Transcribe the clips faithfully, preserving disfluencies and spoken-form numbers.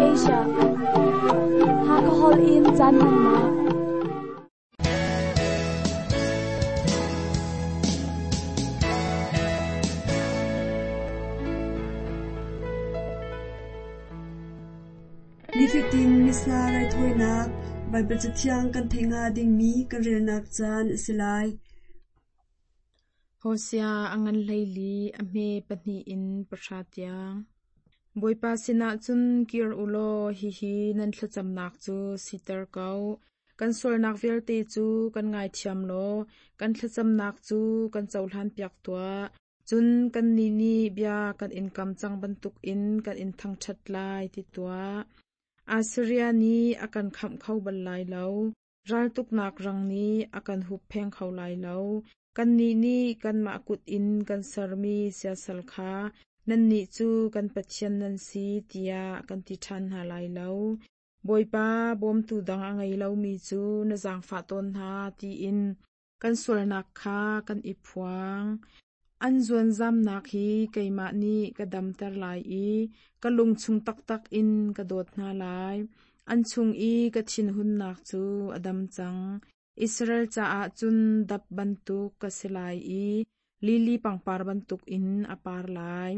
Asia. Hakha holh in caan hmannak. Nifatin Missa raithawinak Baibal Cathiang kan theih hnga dingmi kan relnak caan a si lai. Hosea a ngan hleili a hme pahnih in pahra tiang. Bawipa sinah cun kir u law hihi nan thlacamnak cu siter ko. Kan sualnak vialte cu kan ngaithiam law kan thlacamnak cu kan cohlanpiak tuah. Cun kannih nih bia kan in kam cang bantukin kan in thangṭhat lai ti tuah. Assiria nih a kan khamh kho bal lai lo. Raltuknak rang nih a kan huppheng kho lai lo. Kannih nih kanmah kut in kan sermi siasal kha nannih cu kan pathian nan si tiah kan ti ṭhan hna lai lo. Bawipa bawmtu dang a ngei lomi cu na zaangfah tawn hna tiin kan sualnak kha kan i phuang. An zuanzamnak hi keimah nih ka damter lai i ka lungchung taktak in ka dawt hna lai. An chung i ka thinhunnak cu a dam cang. Israel caah cun dap bantuk ka si lai i lili pangpar bantukin a par lai.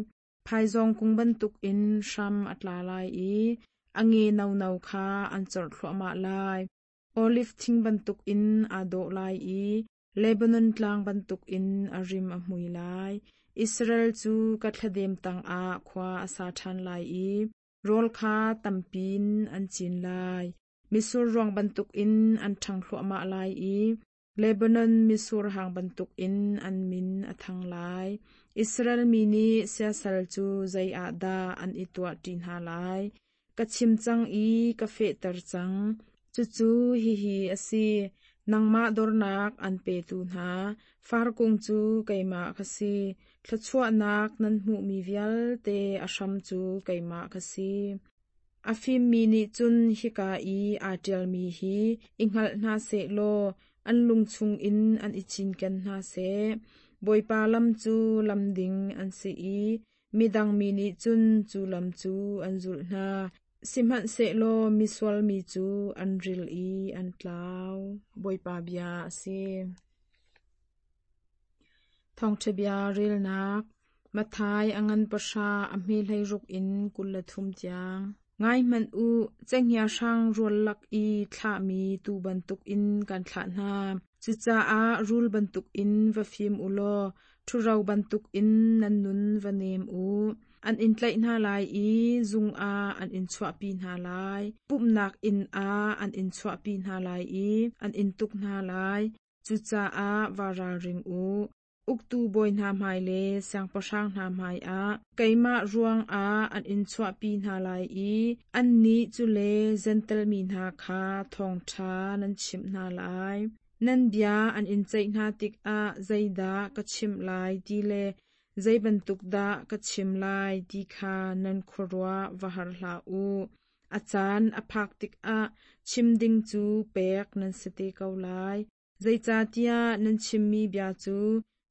Phaizawng kung bantukin hram a tla lai i a nge nono kha an corh thluahmah lai. Olive thing bantukin aa dawh lai i Lebanon tlang bantukin a rim a hmui lai. Israel cu ka thladem tangah khua a sa ṭhan lai i rawl kha tampin an cin lai. Misur ruang bantukin an ṭhang thluahmah lai i Lebanon misur hang bantukin an min a thang lai. Israel mi nih siasal cu zei ah dah an i tuah ṭi hna lai? Ka chim cang i ka fehter cang. Cucu hihi a si. Nangmah dornak an petu hna farkung cu keimah ka si. Thluachuahnak nan hmuhmi vialte a hram cu keimah ka si. A fimmi nih cun hika i aa ṭialmi hi i hngalh hna sehlaw an lung chungin an i cinken hna seh. Bawipa lam cu lam ding an si i midang mi nih cun cu lam cu an zulh hna. Sihmanhsehlaw misual mi cu an ril i an tlau. Bawipa bia a si. Thawngṭha bia relnak Matthai a ngan pahra a hme hleiruk in kul le thum tiang. Ngai hmanh u, cenghngia hrang rual lak i thlahmi tuu bantukin kan thlah hna. Cucaah rul bantukin va fim u law ṭhuro bantukin nan nun va nem u. An in tlaih hna lai i zung ah an in chuahpi hna lai. Pumhnak inn ah an in chuahpi hna lai i an in tuk hna lai. Cucaah va ralring u. Uktu bawi hna hmai le siangpahrang hna hmaiah keimah ruangah an in chuahpi hna lai i annih cu le Jentail mi hna kha thawngṭha nan chimh hna lai. Nan bia an in ceih hna tikah zeidah ka chimh lai ti le zei bantuk dah ka chim lai ti kha nan khuaruah va har hlah u. A caan a phak tikah chim ding cu pek nan si te ko lai. Zeicahtiah nan chimmi bia cu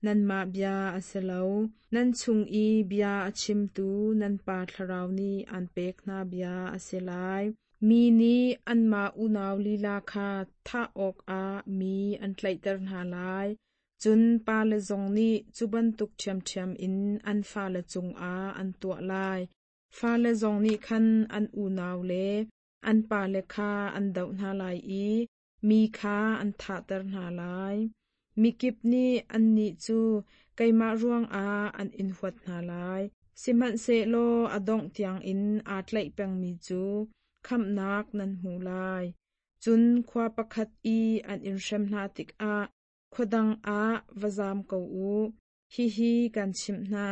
nanmah bia a si lo. Nan chung i bia a chimtu nan Pa Thlarau nih aan pek hna bia a si lai. Mi nih anmah unau lila kha thah awkah mi an tlaihter hna lai. Cun pale zong nih cu bantuk ṭhiamṭhiam in an fale cungah an tuah lai. Fale zong nih khan an unau le an pale kha an doh hna lai i mi kha an thahter hna lai. Mikip nih annih cu keimah ruangah an in huat hna lai. Sihmanhsehlaw a dongh tiangin aa tlaih pengmi cu khamhnak nan hmu lai. Cun khua pakhat i an in hrem hna tikah khua dang ah va zaam ko u. Hihi kan chimh hna,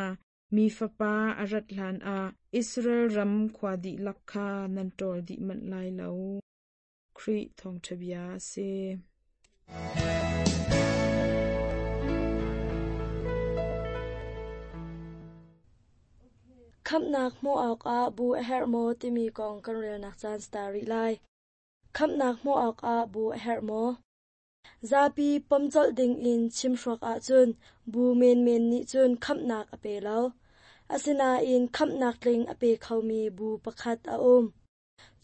mi Fapa a rat hlanah Israel ram khua dihlak kha nan ṭawl dih manh lai lo. Khrih thawngṭha bia a si. Khamhnak hmuh awkah bu a herh maw timi kong kan relnak caan star rih lai. Khamhnak hmuh awkah bu a herh maw? Zapi pom colh dingin chimhruak ahcun bu menmen nih cun khamhnak a pe lo. Asinain khamhnak tling a pe khomi bu pakhat a um.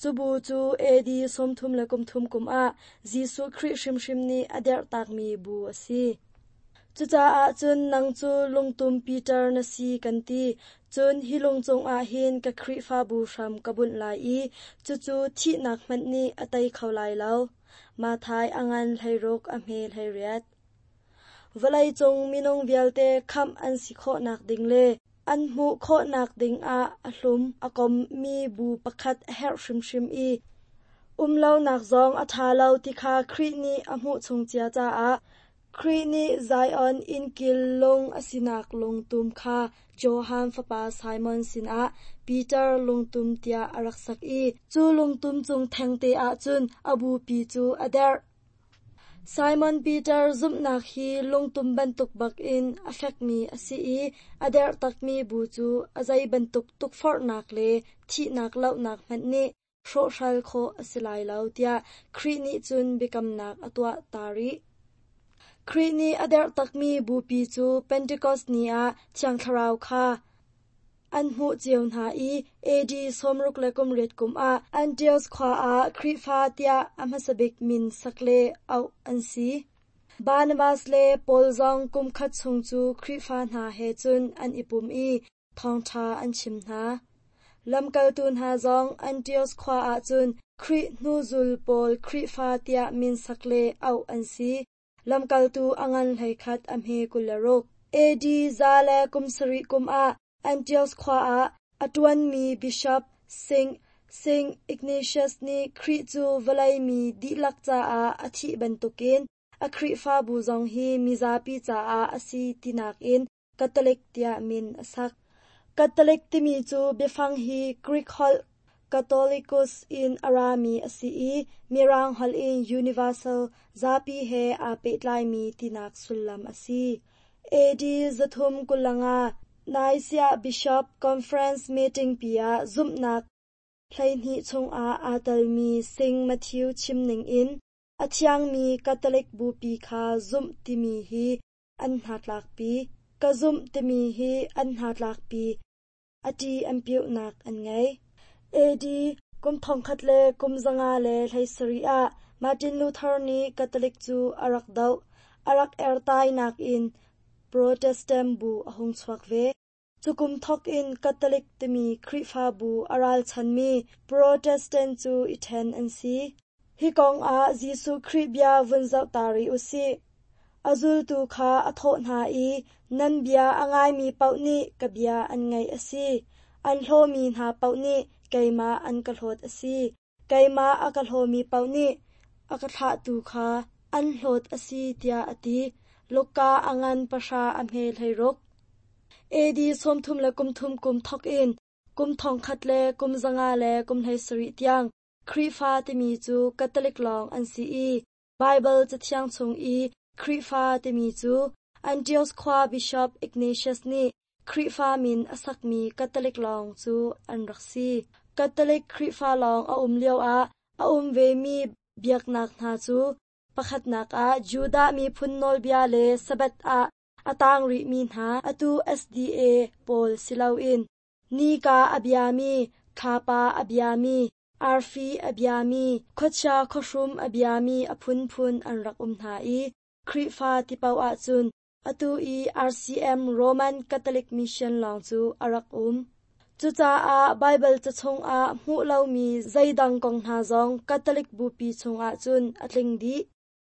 Cu bu cu A D sawmthum le kum thum kum ah Jesuh Khrih hrimhrim nih a derhtakmi bu a si. Cucaah cun nang cu lungtum Peter na si kan ti, cun hi lung cungah hin ka Khrihfabu hram ka bunh lai i cucu thihnak hmanh nih a tei kho lai lo. Matthai a ngan hleiruk a hme hleiriat. Vawleicung minung vialte khamh an si khawhnak ding le an hmuh khawhnak dingah a hlum a kommi bu pakhat a herh hrimhrim i umlonak zong a ṭha lo ti kha Khrih nih a hmuh chung cia caah Khrih nih Zion innkil lung a sinak lungtum kha Johan fapa Simon sinah Peter lungtum tiah a rak sak i cu lungtum cung thengte ah cun a bupi cu a derh. Simon Peter zumhnak hi lungtum bantuk bakin a fekmi a si i a derh takmi bu cu a zei bantuk tukforhnak le thihnak lohnak hmanh nih hrawhhral khawh a si lai lo tiah Khrih nih cun biakamnak a tuah ta rih. Khrih nih a derh takmi bupi cu Pentecost ni ah Thiang Thlarau kha an hmuh cio hna i A D sawmruk le kum riat kum ah Antioch khua ah Khrihfa tiah a hmasabik min sak le auh an si. Barnabas le Paul zong kum khat chung cu Khrihfa hna he cun an i pum i thawngṭha an chim hna. Lamkaltu hna zong Antioch khua ah cun Khrih hnuzul pawl Khrihfa tiah min sak le auh an si. Lamkaltu a ngan hleikhat a hme kul le ruk. A D za le kum sarih kum ah Antioch khua ah a ṭuanmi Bishop Saint Saint Ignatius nih Khrih cu vawlei mi dihlak caah a thih bantukin a Khrihfabu zong hi mizapi caah a si tinak in Catholic tiah min a sak. Catholic timi cu biafang hi Greek holh Katholikos in a rami a si i Mirang holh in universal zapi he aa pehtlaimi tinak sullam a si. A D zathum kul le nga Nicaea Bishop Conference meeting pi ah zumhnak hleihnih chungah aa telmi Saint Matthew chim ningin a thiangmi Catholic bupi kha zumh timi hi an hnatlakpi. Ka zumh timi hi an hnatlakpi. A ṭi an piuhnak an ngei. A D kum thongkhat le kum zanga le hleisarih ah Martin Luther nih Catholic cu a rak doh. A rak ertainak in Protestant bu a hung chuak ve. Cu kum thawk in Catholic timi Khrihfabu a ralchanmi Protestant cu i ṭhen an si. Hi kong ah Jesuh Khrih bia vun zoh ta rih u sih. A zultu kha a thawh hna i nan bia a ngaimi paoh nih ka bia an ngaih a si. An hlawmi hna paoh nih keimah an ka hlawt a si. Keimah a ka hlawmi paoh nih a ka thlahtu kha an hlawt a si tiah a ti. Luka a ngan pahra a hme hleiruk. A D sawmthum le kum thum kum thawk in kum thongkhat le kum zanga le kum hleisarih tiang Khrihfa timi cu Catholic lawng an si i Baibal Cathiang chung i Khrihfa timi cu Antioch khua Bishop Ignatius nih Khrihfa min a sakmi Catholic lawng cu an rak si. Catholic Khrihfa lawng a um lioah a um vemi biaknak hna cu pakhatnak ah Judah miphun nawlbia le Sabbath ah a tang rihmi hna atu S D A pawl si loin nika a biami, thlapa a biami, arfi a biami, khuachia khuahrum a biami a phunphun an rak um hna i Khrihfa ti paoh ahcun atu i R C M Roman Catholic Mission lawng cu a rak um. Cucaah Baibal ca chungah hmuh lomi zeidang kong hna zong Catholic bupi chungah cun a tling dih.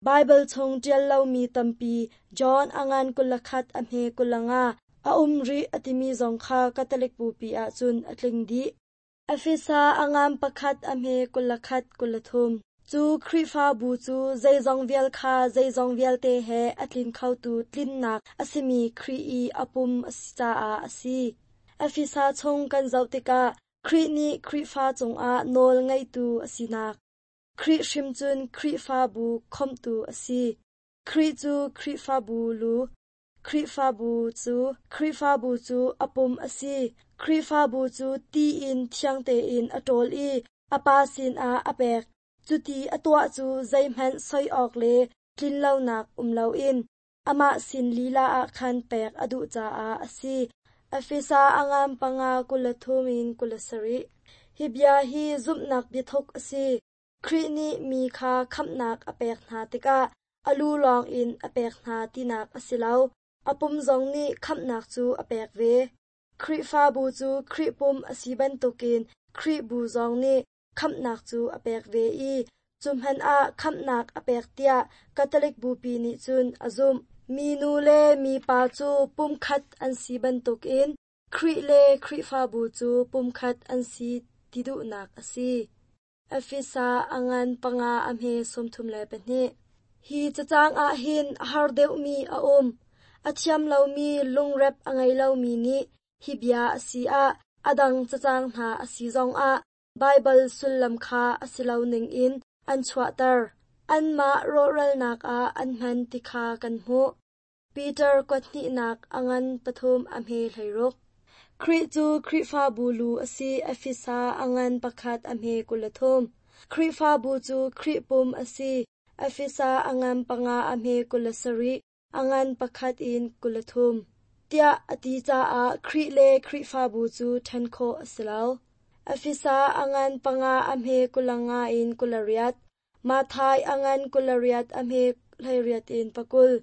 Baibal chung ṭial lomi tampi John a ngan kul le khat a hme kul le nga a um rih a timi zong kha Catholic bupi ahcun a tling dih. Efesa a ngan pakhat a hme kul le khat kul le thum. Cu Khrihfabu cu zeizong vial kha zeizong vialte he a tlin khotu tlinnak a simi Khrih i a pum a si caah a si. Efesa chung kan zoh tikah Khrih nih Khrihfa cungah nawl ngeitu a sinak, Khrih hrim cun Khrihfabu khawmhtu a si. Khrih cu Khrihfabu lu, Khrihfabu cu Khrihfabu cu a pum a si. Khrihfabu cu ti in thiang tein a ṭawl i a Pa sinah a pek. Cuti a tuah cu zeihmanh soi awk le tlinlonak um loin amah sin lila ah khan pek a duh caah a si. Efesa a ngan panga kul le thum in kul le sarih. Hi bia hi zumhnak biathuk a si. Khrih nih mi kha khamhnak a pek hna tikah a lu lawng in a pek hna tinak a si lo. A pum zong nih khamhnak cu a pek ve. Khrihfabu cu Khrih pum a si bantukin Khrih bu zong nih khamhnak cu a pek ve i cu hmanh ah khamhnak a pek tiah Catholic Bupi nih cun a zumh. Minu le mipa cu pumkhat an si bantukin Khrih le Khrihfabu cu pumkhat an si ti duhnak a si. Efesa a ngan panga a hme sawmthum le pahnih. Hi cacang ah hin a har deuhmi a um. A thiam lomi lungrep a ngei lomi nih hi bia a si ah a dang cacang hna a si zongah Baibal sullam kha a si lo ningin an chuahter. Anmah rawhralnak ah an hman ti kha kan hmuh. Peter kuathnihnak a ngan pathum a hme hleiruk. Khrih cu Khrihfabu lu a si. Efesa a ngan pakhat a hme kul le thum. Khrihfabu cu Khrih pum a si. Efesa a ngan panga a hme kul le sarih, a ngan pakhat in kul le thum. Tiah a ti caah Khrih le Khrihfabu cu ṭhen khawh a si lo. Efesa a ngan panga a hme kul nga in kul le riat. Matthai a ngan kul le riat a hme hleiriat in pakul.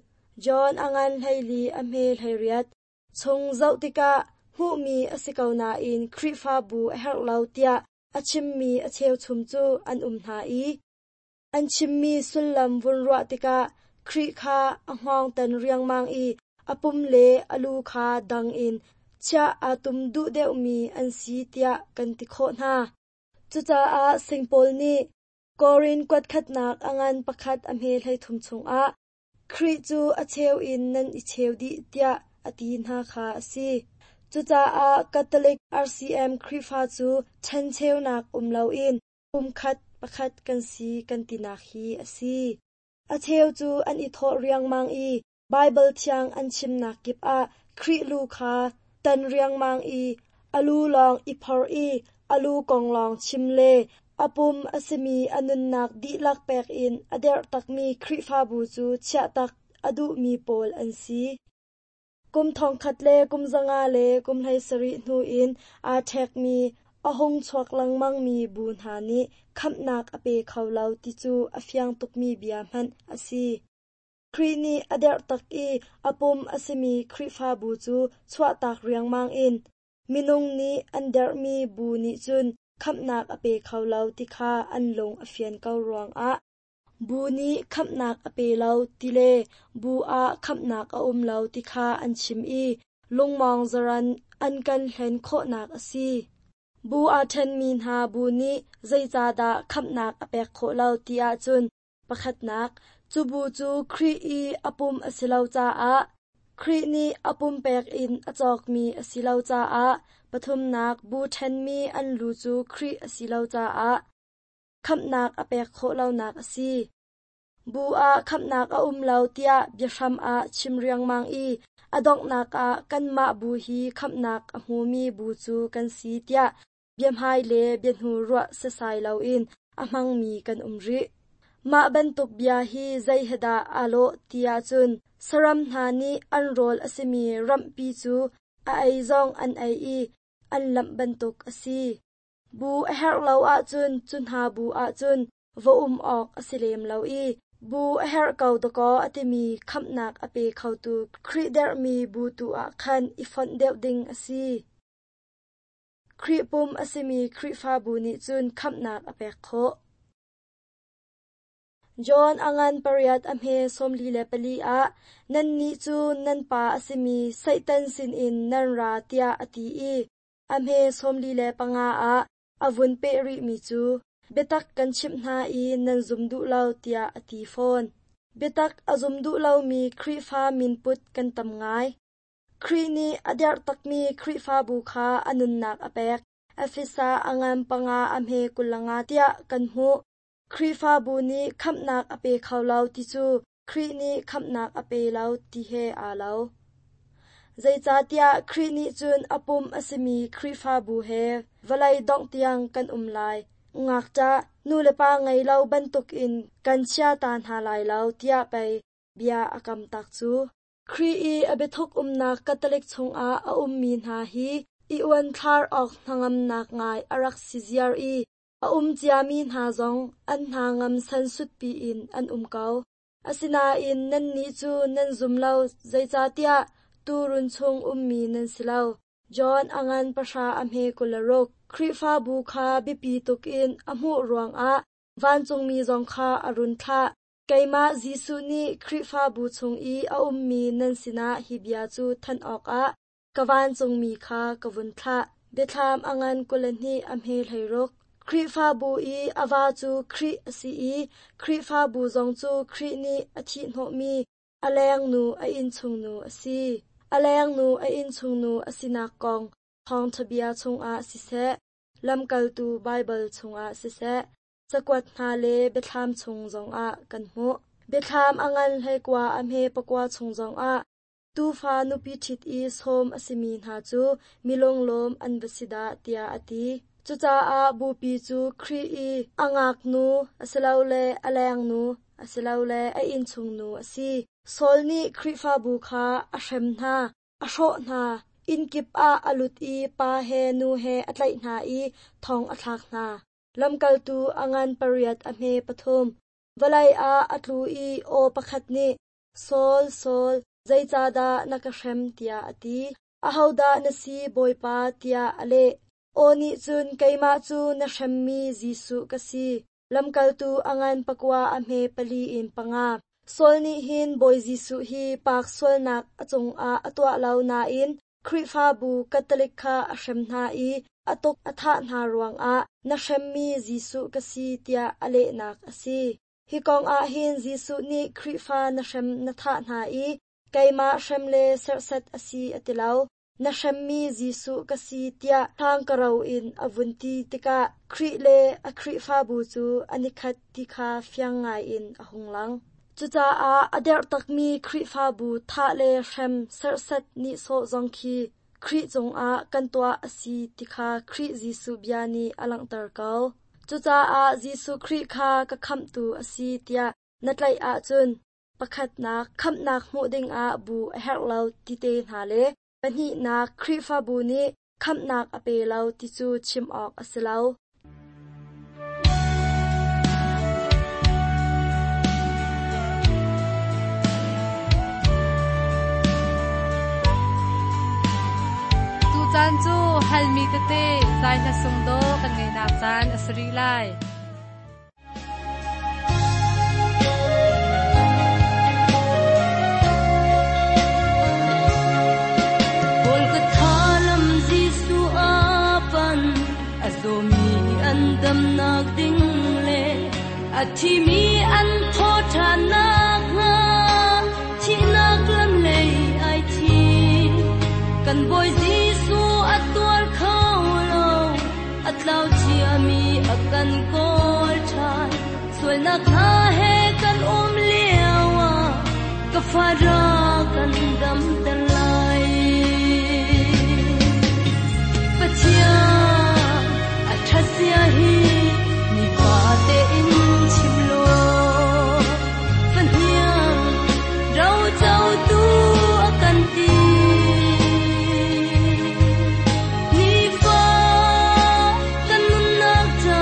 John a ngan hleili a hme hleiriat. Chung zoh tikah hmuhmi a si ko nain Khrihfabu a herh lo tiah a chimmi a cheuchum cu an um hna i an chimmi sullam vun ruah tikah Khrih kha a hngawng tan riangmang i a pum le a lu kha dang in chiah aa tum duh deuhmi an si tiah kan ti khawh hna. Cucaah Saint Paul nih Korin kuatkhatnak a ngan pakhat a hme hleithum chungah Khrih cu a cheu in nan i cheu dih tiah a ti hna kha a si. Cucaah Catholic R C M Khrihfa cu ṭhencheunak um loin pumkhat pakhat kan si kan tinak hi a si. A cheu cu an i thawh riangmang i Baibal thiang an chimnak kip ah Khrih lu kha tan riangmang i a lu lawng i phor i a lu kong lawng chim le a pum a simi a nunnak dihlak pek in a derh takmi Khrihfabu cu chiahtak a duhmi pawl an si. Kum thongkhat le kum zanga le kum hlei sarih hnu in aa ṭhekmi a hung chuak lengmangmi bu hna nih khamhnak a pe kho lo ti cu a fiang tukmi bia hmanh a si. Khrih nih a derh tak i a pum a simi Khrihfabu cu chuahtak riangmang in minung nih an derhmi bu nih cun khamhnak a pe kho lo ti kha an lung a fian ko ruangah bu nih khamhnak a pe lo ti le bu ah khamhnak a um lo ti kha an chim i lungmawng zaran an kan hlen khawhnak a si. Bu aa ṭhenmi hna bu nih zeicahdah khamhnak a pek khawh lo ti ahcun pakhatnak, cu bu cu Khrih i a pum a si lo caah, Khrih nih a pum pek in a cawkmi a si lo caah, pathumnak, bu ṭhenmi an lu cu Khrih a si lo caah, khamhnak a pek khawh lonak a si. Bu ah khamhnak a um lo tiah biahram ah chim riangmang i a donghnak ah kanmah bu hi khamhnak a hmumi bu cu kan si tiah biahmai le biahnu ruah sesai loin a hmangmi kan um rih. Mah bantuk bia hi zei he dah aa lawh ti ahcun saram hna nih an rawl a simi ramhpi cu a ei zong an ei i an lamh bantuk a si. Bu a herh lo ahcun cu hna bu ahcun va um awk a si lem lo i bu a herh ko dakaw a timi khamhnak a pe khotu Khrih derhmi bu tu ah khan i fonh deuh ding a si. Khrih pum a simi Khrihfabu nih cun khamhnak a pek khawh. John a ngan pariat a hme sawmli le pali ah nannih cu nan pa a simi Satan sinin nan ra tiah a ti i a hme sawmli le panga ah a vun peh rihmi cu biatak kan chimh hna i nan zum duh lo tiah a ti fawn. Biatak a zum duh lomi Khrihfa minput kan tam ngai. Khrih nih a derh takmi Khrihfabu kha a nunnak a pek. Efesa a ngan panga a hme kul nga tiah kan hmuh. Khrihfabu nih khamhnak a pe kho lo ti cu Khrih nih khamhnak a pe lo ti he aa lo. Zeicahtiah Khrih nih cun a pum a simi Khrihfabu he vawlei dongh tiang kan um lai. Ngakṭah nu le pa ngei lo bantukin kan chia ta hna lai lo tiah pei bia a kam tak cu. Khrih i a biathuk umnak Catholic chungah a ummi hna hi I uanthlar awk hnangamnak ngai a rak si ziar i a um ciami hna zong an hna ngam san sutpi in an um ko. Asinain nannih cu nan zum lo, zeicahtiah tuurun chung ummi nan si lo. John a ngan pahra a hme kul le ruk. Khrihfabu kha biapi tuk in a hmuh ruangah vancungmi zong kha a run thlah. Keimah Jesuh nih Khrihfabu chung i a ummi nan sinah hi bia cu thanh awkah ka vancungmi kha ka vun thlah. Biathlam a ngan kul le hnih a hme hleiruk. Khrihfabu i a va cu Khrih a si i Khrihfabu zong cu Khrih nih a thihhnawhmi a lengnu a innchungnu a si. A lengnu a innchungnu a sinak kong thawngṭha bia chungah siseh, lamkaltu Baibal chungah siseh, cakuat hna le biathlam chung zongah kan hmuh. Biathlam a ngan hleikua a hme pakua chung zongah tuufa nupi ṭhit i sawm a simi hna cu mi lunglawm an va si dah tiah a ti. Cucaah bupi cu Khrih i a ngaknu asilole a lengnu asilole a innchungnu a si. Saul nih Khrihfabu kha a hrem hna, a hrawh hna, innkip ah a lut i pa he nu he a tlaih hna i thong a thlak hna. Lamkaltu a ngan pariat a hme pathum. Vawlei ah a tlu i aw pakhat nih, Saul, Saul, zeicahdah na ka hrem tiah a ti. Ahodah na si, Bawipa, tiah a leh. Aw nih cun keimah cu na hremmi Jesuh ka si. Lamkaltu a ngan pakua a hme pali in panga. Saul nih hin Bawi Jesuh hi paak sualnak a cungah a tuah lo nain Khrihfabu Catholic kha a hrem hna i a tuk a thah hna ruangah na hremmi Jesuh ka si tiah a lehnak a si. Hi kong ah hin Jesuh nih Khrihfa na hrem na thah hna i keimah hrem le serhsat a si a ti lo. Na hremmi Jesuh ka si tiah hlangkaro in a vun ti tikah Khrih le a Khrihfabu cu an i khat ti kha fiang ngaiin a hung lang. Cucaah a derh takmi Khrihfabu thah le hrem serhsat nihsawh zong khi Khrih cungah kan tuah a si ti kha Khrih Jesuh bia nih a langhter ko. Cucaah Jesuh Khrih kha ka khamhtu a si tiah na tlaih ahcun pakhatnak khamhnak hmuh dingah bu a herh lo ti te hna le pahnihnak Khrihfabu nih khamhnak a pe lo ti cu chim awk a si lo. Tucaan cu halmi tete zai hla sung do kan ngeinak caan a si rih lai. Dam nak ding le a thi mi an tho than nak nga thi nak lam lei ai thi kan boy Jesu a tuar khau lo a tlau chia mi a kan kol than sual nak na he kan um lewa ka fara kan dam ter lai Pathia Thasia hi ni pa te in chim lo fan hiang rau chau tu akan ti ni fa kan nun nak cha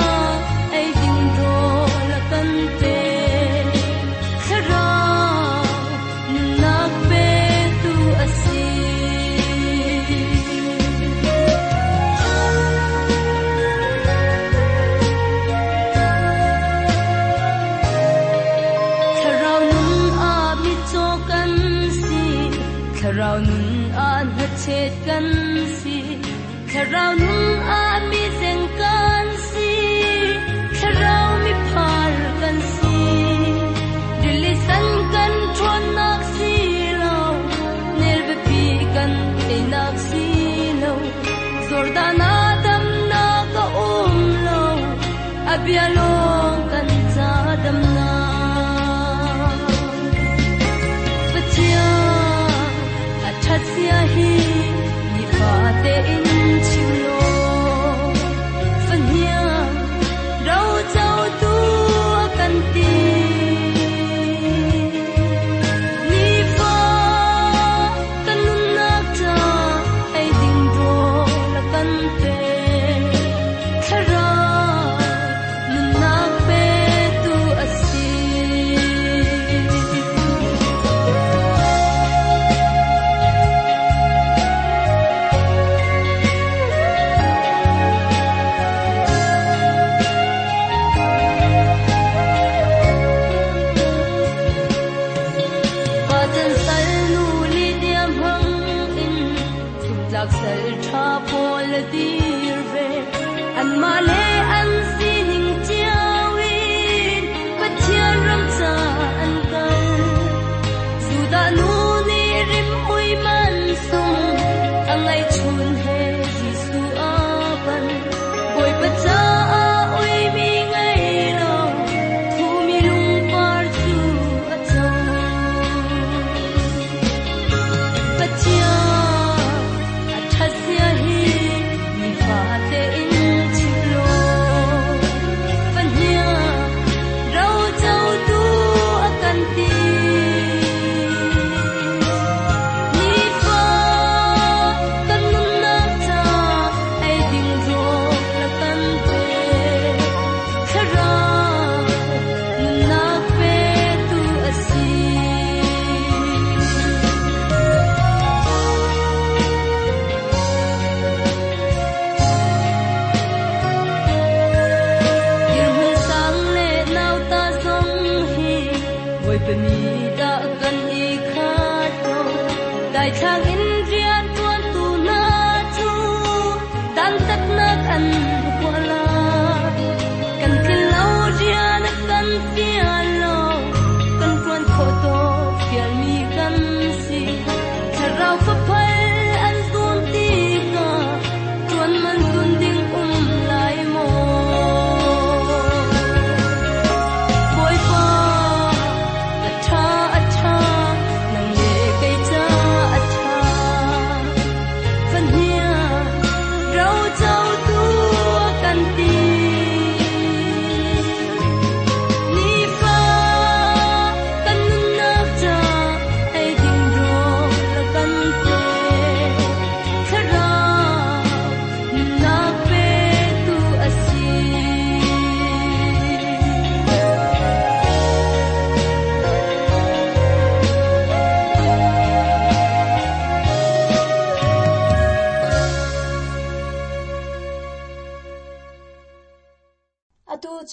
ai ding do la kan te thara nun nak pe tu asi. Thlarau nun an hachet kan si, thlarau nun a mi zeng kan si, thlarau mi phar kan si, dili san kan thon nak si lo, nel ve pi kan te nak si lo, Jordan adam na ka um lo, abialong kan cha dam na. Pathia Thasia hi ni fa te in chim lo fan hia rau chau tu kan ti ni fa kan nun nak cha ai ding do la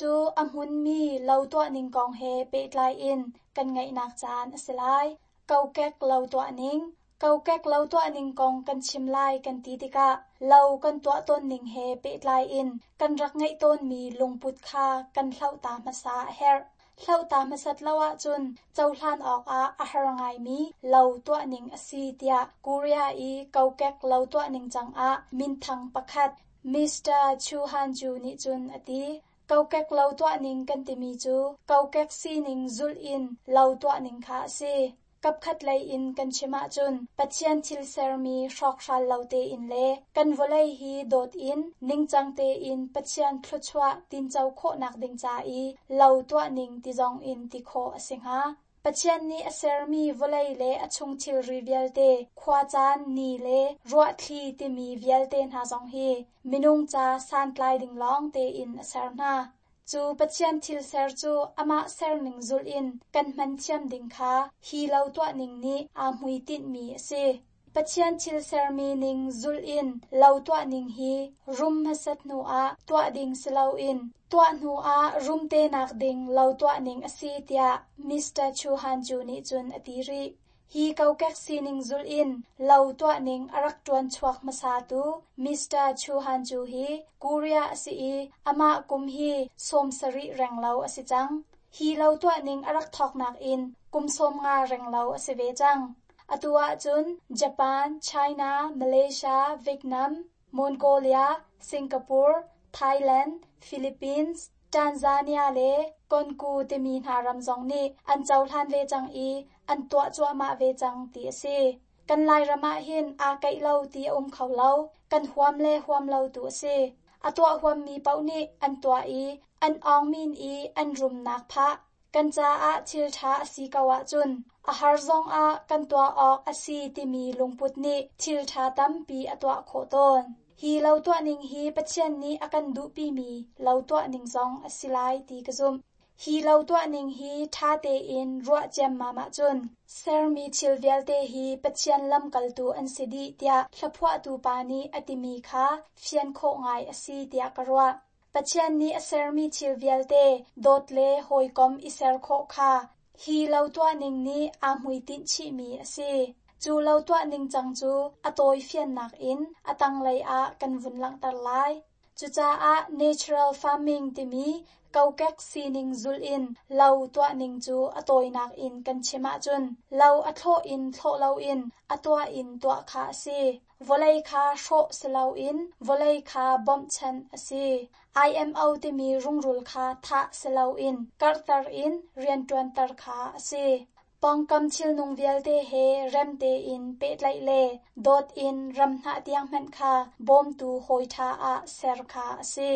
cu a hmunmi lo tuah ning kong he pehtlai in kan ngaihnak caan a si lai. Kokek lo tuah ning. Kokek lo tuah ning kong kan chim lai kan ti tikah lo kan tuah tawn ning he pehtlai in kan rak ngeih tawnmi lungput kha kan hloh ta hmasa a herh. Hloh ta hmasat lo ahcun cohlan awkah a har ngaimi lo tuah ning a si tiah Korea i kokek lo tuah ning cangah minthang pakhat Mister Chu Han-ju nih cun a ti. Kokek lo tuah ning kan timi cu kokek sining zulh in lo tuah ning kha a si. Kapkhat lei in kan chim ahcun Pathian thil sermi hrawkhral lo tein le kan vawlei hi dawt in ningcang tein Pathian thluachuah tinco khawhnak ding ca i lo tuah ning ti zong in ti khawh a si hnga. Pathian nih a sermi vawlei le a chung thilri vialte, khuacaan, ni le ruahthli timi vialte hna zong hi minung ca santlai ding lawng tein a ser hna. Cu Pathian thil ser cu amah serning zulh in kan hman thiam ding kha hi lo tuah ning nih aa hmuitinhmi a si. Pathian thil sermi ning zulh in lo tuah ning hi rum hmasat hnu ah tuah ding si loin tuah hnu ah rum te nak ding lo tuah ning a si tiah Mister Chu Han-ju nih cun a ti rih. Hi kokek sining zulh in lo tuah ning a rak ṭuan chuak hmasa tu Mister Chu Han-ju hi Korea a si i amah kum hi sawm sarih reng lo a si cang. Hi lo tuah ning a rak thawknak in kum sawm nga reng lo a si ve cang. Atu ahcun Japan, China, Malaysia, Vietnam, Mongolia, Singapore, Thailand, Philippines, Tanzania le Konku timi hna ram zong nih an cohlan ve cang i an tuah cuahmah ve cang ti a si. Kan Lairam ah hin aa keih lo ti a um kho lo, kan huam le huam lo tu a si. A tuah huammi paoh nih an tuah i an awngmin i an rumnak phah. Kan caah thil ṭha a si ko ahcun a har zong ah kan tuah awk a si timi lungput nih thil ṭha tampi a tuah khawh tawn. Hi lo tuah ning hi Pathian nih a kan duhpimi lo tuah ning zong a si lai ti ka zumh. Hi lo tuah ning hi ṭha tein ruah ciammam ahcun sermi thil vialte hi Pathian lamkaltu an si dih tiah hlaphuahtu pa nih a timi kha fian khawh ngai a si tiah ka ruah. Pathian nih a sermi thil vialte dawt le hawikom i ser khawh kha hi lo tuah ning nih aa hmuitinh chihmi a si. Cu lo tuah ning cang cu a tawi fiannak in a tanglei ah kan vun langhter lai. Cucaah natural farming timi kokek sining zulh in lo tuah ning cu a tawinak in kan chim ahcun lo a thlawh in thlawh loin a tuah in tuah kha a si. Vawlei kha hrawh si loin vawlei kha bawmhchanh a si. I M O timi rungrul kha thah si loin karhter in rianṭuanter kha a si. Pawngkam thilnung vialte he rem tein pehtlaih le dawt in ram hnah tiang hmanh kha bawmtu hawi ṭha ah ser kha a si.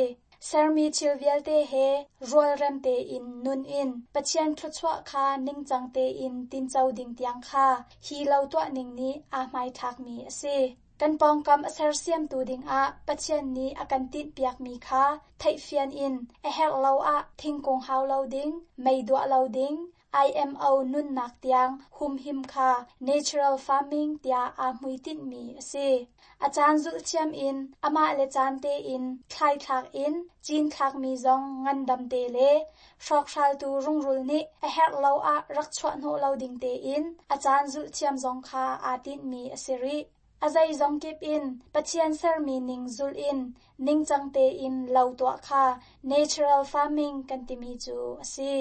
Sermi thil vialte he rualrem tein nun in Pathian thluachuah kha ningcang tein tinco ding tiang kha hi lo tuah ning nih aa hmaithlakmi a si. Kan pawngkam a sersiamtu dingah Pathian nih a kan tinhpiakmi kha theihfian in a herh lo ah thingkung hau lo ding, mei duah lo ding, I M O nunnak tiang humhim kha natural farming tiah aa hmuitinhmi a si. A caan zulh thiam in amah le caan tein thlaithlak in cinthlakmi zong ngandam te le hrawkhraltu rungrul nih a herh lo ah rak chuah hnawh lo ding tein a caan zulh thiam zong kha aa tinhmi a si rih. A zeizong kip in Pathian sermi ning zulh in ningcang tein lo tuah kha natural farming kan timi cu a si.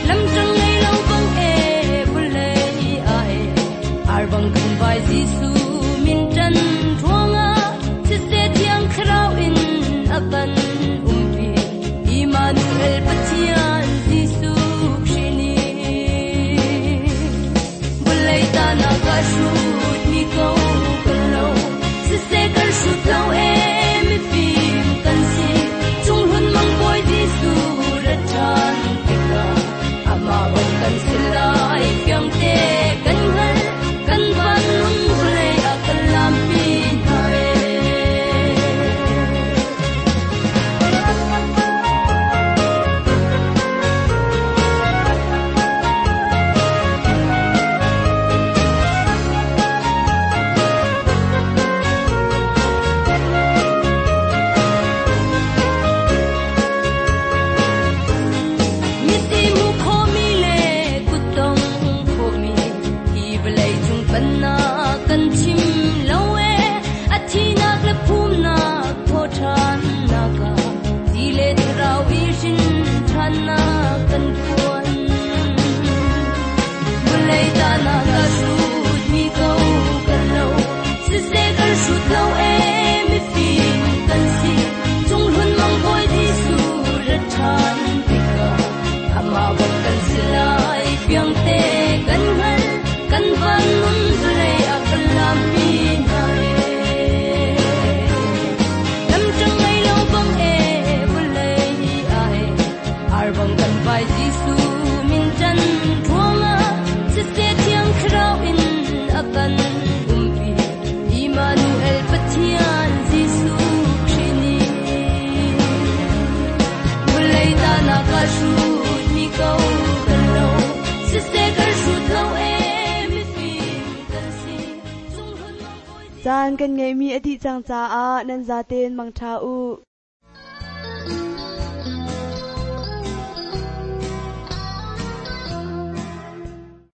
Lam tang ngei lo bang e, vawlei kan si lai fiang te kan hngal kan van nun vawlei a kan lampi hna e. Miti mu khomi le kuttong khomi hi vawlei cung pannak kan chim lo e a thinak le phumnak thawṭhannak ah ti le thlarau i hrin ṭhannak kan phuan. Vawlei tahnak a hrutmi ko kan lo, siseh kan hrut lo e mifim kan si. Cunghlun mang Bawi Jesuh ra ṭhan tikah amah bang kan si lai fiang te kan hngal kan van nun vawlei a kan lampi hna e. Lam ṭang ngei lo bang e vawlei ah e ar bang kan vai Jesuh min ṭan ruangah siseh thiang thlarau in a kan umpi Immanuel Pathian Jesuh Khrih nih. Vawlei tahnak a hrutmi ko kan lo, siseh kan hrut lo e mifim kan si. Cunghlun mang Bawi Caan kan ngeihmi a dih cang caah nan zaten mangṭha u.